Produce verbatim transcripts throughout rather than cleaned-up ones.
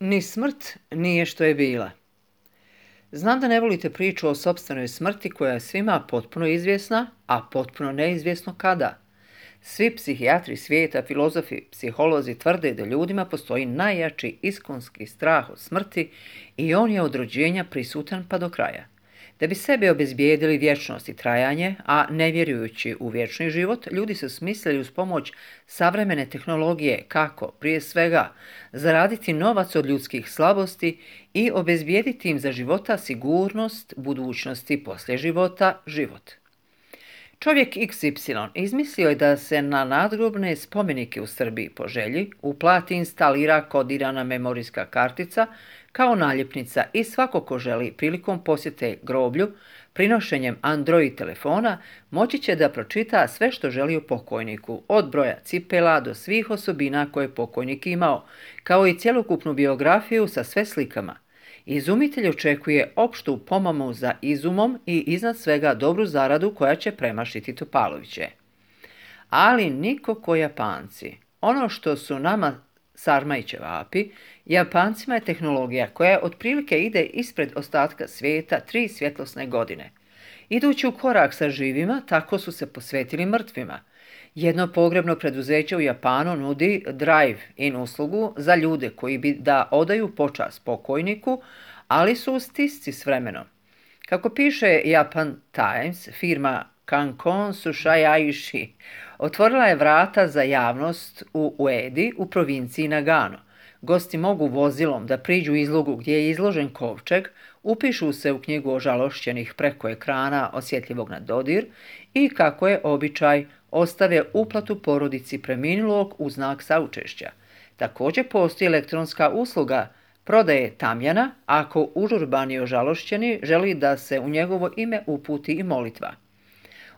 Ni smrt nije što je bila. Znam da ne volite priču o sopstvenoj smrti koja je svima potpuno izvjesna, a potpuno neizvjesno kada. Svi psihijatri svijeta, filozofi, psiholozi tvrde da ljudima postoji najjači iskonski strah od smrti i on je od rođenja prisutan pa do kraja. Da bi sebi obezbijedili vječnost i trajanje, a ne vjerujući u vječni život, ljudi su smislili uz pomoć savremene tehnologije kako, prije svega, zaraditi novac od ljudskih slabosti i obezbijediti im za života sigurnost, budućnosti poslije života, život. Čovjek iks ipsilon izmislio je da se na nadgrobne spomenike u Srbiji po želji uplati instalira kodirana memorijska kartica kao naljepnica i svako ko želi prilikom posjete groblju, prinošenjem Android telefona, moći će da pročita sve što želi o pokojniku, od broja cipela do svih osobina koje je pokojnik imao, kao i cjelokupnu biografiju sa sve slikama. Izumitelj očekuje opštu pomamu za izumom i iznad svega dobru zaradu koja će premašiti Topaloviće. Ali niko ko Japanci. Ono što su nama sarma i ćevapi, Japancima je tehnologija koja otprilike ide ispred ostatka svijeta tri svjetlosne godine. Idući u korak sa živima, tako su se posvetili mrtvima. Jedno pogrebno preduzeće u Japanu nudi drive-in uslugu za ljude koji bi da odaju počast pokojniku, ali su u stisci s vremenom. Kako piše Japan Times, firma Kankon Sushayaishi otvorila je vrata za javnost u Uedi u provinciji Nagano. Gosti mogu vozilom da priđu izlogu gdje je izložen kovčeg, upišu se u knjigu ožalošćenih preko ekrana osjetljivog na dodir i, kako je običaj, ostave uplatu porodici preminulog u znak saučešća. Također postoji elektronska usluga prodaje tamjana ako užurbani ožalošćeni želi da se u njegovo ime uputi i molitva.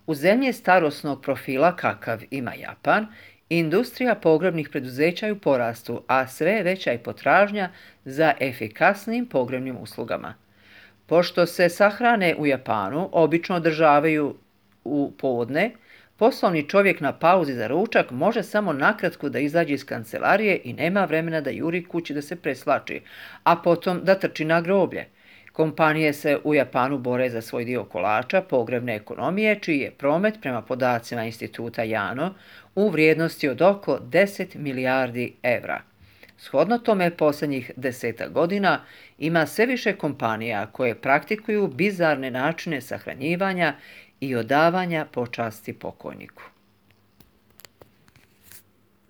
U zemlji starosnog profila kakav ima Japan, industrija pogrebnih preduzeća je u porastu, a sve veća je potražnja za efikasnim pogrebnim uslugama. Pošto se sahrane u Japanu obično održavaju u podne, poslovni čovjek na pauzi za ručak može samo nakratko da izađe iz kancelarije i nema vremena da juri kući da se preslači, a potom da trči na groblje. Kompanije se u Japanu bore za svoj dio kolača pogrebne ekonomije, čiji je promet prema podacima instituta Jano u vrijednosti od oko deset milijardi evra. Shodno tome, posljednjih deseta godina ima sve više kompanija koje praktikuju bizarne načine sahranjivanja i odavanja počasti pokojniku.